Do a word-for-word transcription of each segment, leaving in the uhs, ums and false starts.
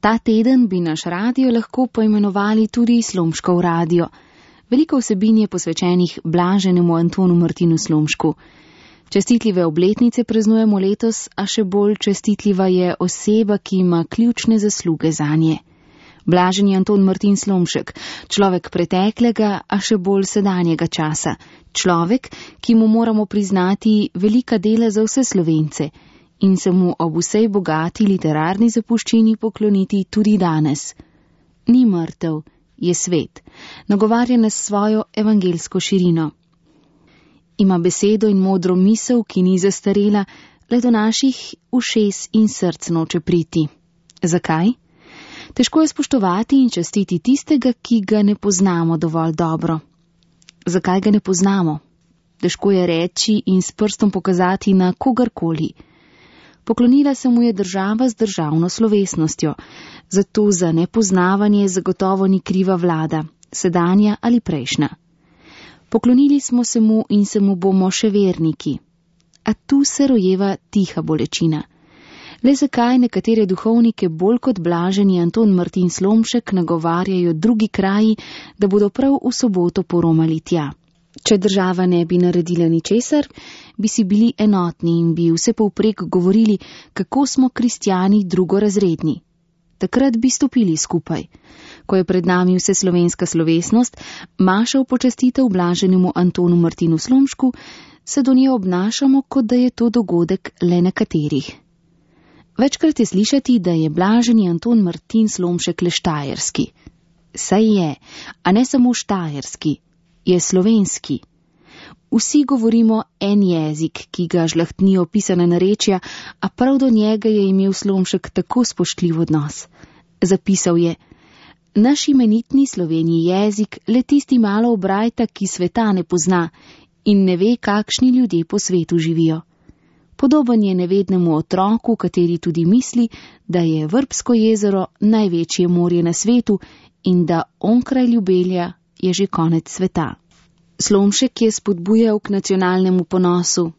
Ta teden bi naš radio lahko poimenovali tudi Slomškov radio. Veliko vsebin je posvečenih blaženemu Antonu Martinu Slomšku. Čestitljive obletnice praznujemo letos, a še bolj čestitljiva je oseba, ki ima ključne zasluge zanje. Blaženi Anton Martin Slomšek, človek preteklega, a še bolj sedanjega časa. Človek, ki mu moramo priznati velika dela za vse Slovence in se mu ob vsej bogati literarni zapuščini pokloniti tudi danes. Ni mrtev, je svet, nagovarja nas svojo evangelsko širino. Ima besedo in modro misel, ki ni zastarela, le do naših ušes in src noče priti. Zakaj? Težko je spoštovati in častiti tistega, ki ga ne poznamo dovolj dobro. Zakaj ga ne poznamo? Težko je reči in s prstom pokazati na kogarkoli. Poklonila se mu je država z državno slovesnostjo, zato za nepoznavanje zagotovo ni kriva vlada, sedanja ali prejšnja. Poklonili smo se mu in se mu bomo še verniki. A tu se rojeva tiha bolečina. Le zakaj nekatere duhovnike bolj kot blaženi Anton Martin Slomšek nagovarjajo drugi kraji, da bodo prav v soboto poromali tja? Če država ne bi naredila ničesar, bi si bili enotni in bi vse povprek govorili, kako smo kristjani drugorazredni. Takrat bi stopili skupaj. Ko je pred nami vse slovenska slovesnost, maša v počastitev blaženemu Antonu Martinu Slomšku, se do nje obnašamo, kot da je to dogodek le nekaterih. Večkrat je slišati, da je blaženi Anton Martin Slomšek le štajerski. Saj je, a ne samo štajerski, je slovenski. Vsi govorimo en jezik, ki ga žlahtnijo pisana narečja, a prav do njega je imel Slomšek tako spoštljiv odnos. Zapisal je: naš imenitni slovenji jezik le tisti malo obrajta, ki sveta ne pozna in ne ve, kakšni ljudje po svetu živijo. Podoben je nevednemu otroku, kateri tudi misli, da je Vrbsko jezero največje morje na svetu in da onkraj Ljubelja je že konec sveta. Slomšek je spodbujal k nacionalnemu ponosu.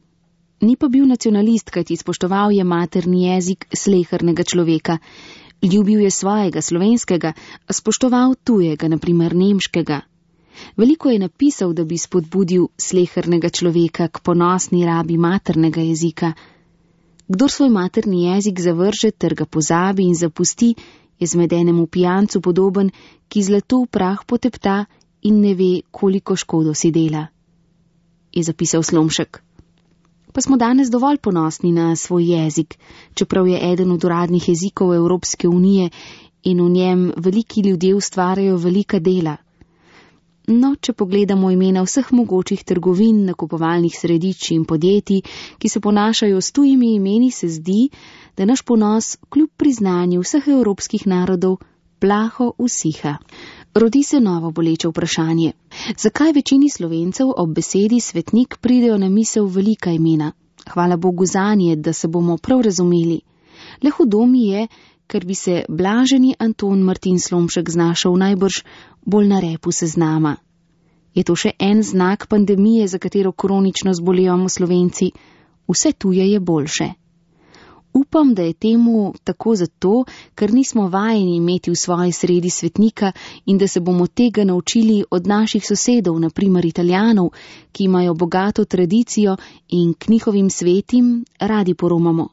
Ni pa bil nacionalist, kajti spoštoval je materni jezik slehernega človeka. Ljubil je svojega slovenskega, a spoštoval tujega, na primer nemškega. Veliko je napisal, da bi spodbudil slehernega človeka k ponosni rabi maternega jezika. Kdor svoj materni jezik zavrže ter ga pozabi in zapusti, je zmedenemu pijancu podoben, ki zlato v prah potepta in ne ve, koliko škodo si dela, je zapisal Slomšek. Pa smo danes dovolj ponosni na svoj jezik, čeprav je eden od uradnih jezikov Evropske unije in v njem veliki ljudje ustvarjajo velika dela. No, če pogledamo imena vseh mogočih trgovin, nakupovalnih središč in podjetij, ki se ponašajo s tujimi imeni, se zdi, da naš ponos kljub priznanju vseh evropskih narodov plaho usiha. Rodi se novo boleče vprašanje. Zakaj večini Slovencev ob besedi svetnik pridejo na misel velika imena? Hvala Bogu zanje, da se bomo prav razumeli. Le hudo mi je, ker bi se blaženi Anton Martin Slomšek znašel najbrž bolj na repu seznama. Je to še en znak pandemije, za katero kronično zbolevamo Slovenci? Vse tuje je boljše. Upam, da je temu tako zato, ker nismo vajeni imeti v svoji sredi svetnika in da se bomo tega naučili od naših sosedov, na primer Italijanov, ki imajo bogato tradicijo in k njihovim svetim radi poromamo.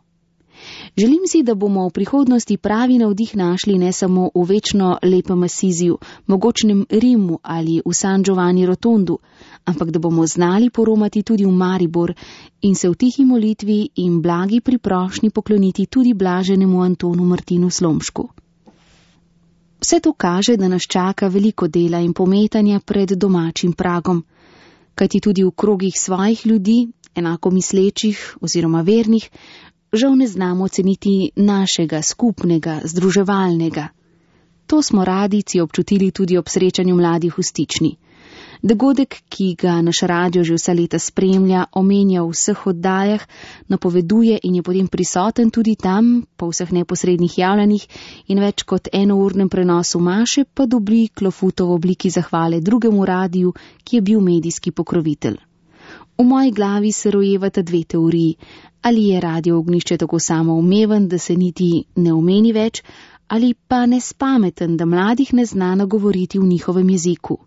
Želim si, da bomo v prihodnosti pravi navdih našli ne samo v večno lepem Asiziju, mogočnem Rimu ali v San Giovanni Rotondu, ampak da bomo znali poromati tudi v Maribor in se v tihi molitvi in blagi priprošnji pokloniti tudi blaženemu Antonu Martinu Slomšku. Vse to kaže, da nas čaka veliko dela in pometanja pred domačim pragom, kajti tudi v krogih svojih ljudi, enako mislečih oziroma vernih, žal ne znamo ceniti našega, skupnega, združevalnega. To smo radijci občutili tudi ob srečanju mladih v Stični. Dogodek, ki ga naš radio že vsa leta spremlja, omenja v vseh oddajah, napoveduje in je potem prisoten tudi tam, po vseh neposrednih javljanjih in več kot enournem prenosu maše, pa dobi klofuto v obliki zahvale drugemu radiju, ki je bil medijski pokrovitelj. V moji glavi se rojevata dve teoriji. Ali je radio Ognjišče tako samoumeven, da se niti ne omeni več, ali pa nespameten, da mladih ne zna nagovoriti v njihovem jeziku.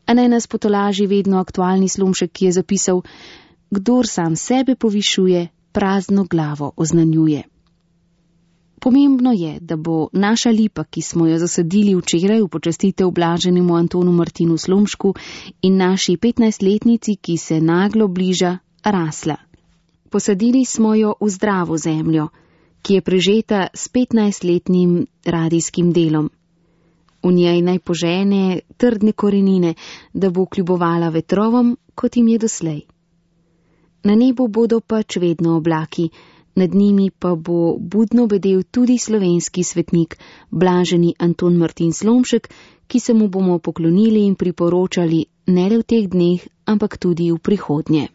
A naj nas potolaži vedno aktualni Slomšek, ki je zapisal: kdor sam sebe povišuje, prazno glavo oznanjuje. Pomembno je, da bo naša lipa, ki smo jo zasadili včeraj v počastitev blaženemu Antonu Martinu Slomšku in naši petnajstletnici, ki se naglo bliža, rasla. Posadili smo jo v zdravo zemljo, ki je prežeta s petnajstletnim radijskim delom. V njej naj požene trdne korenine, da bo kljubovala vetrovom, kot jim je doslej. Na nebu bodo pač vedno oblaki, nad njimi pa bo budno bedel tudi slovenski svetnik, blaženi Anton Martin Slomšek, ki se mu bomo poklonili in priporočali ne le v teh dneh, ampak tudi v prihodnje.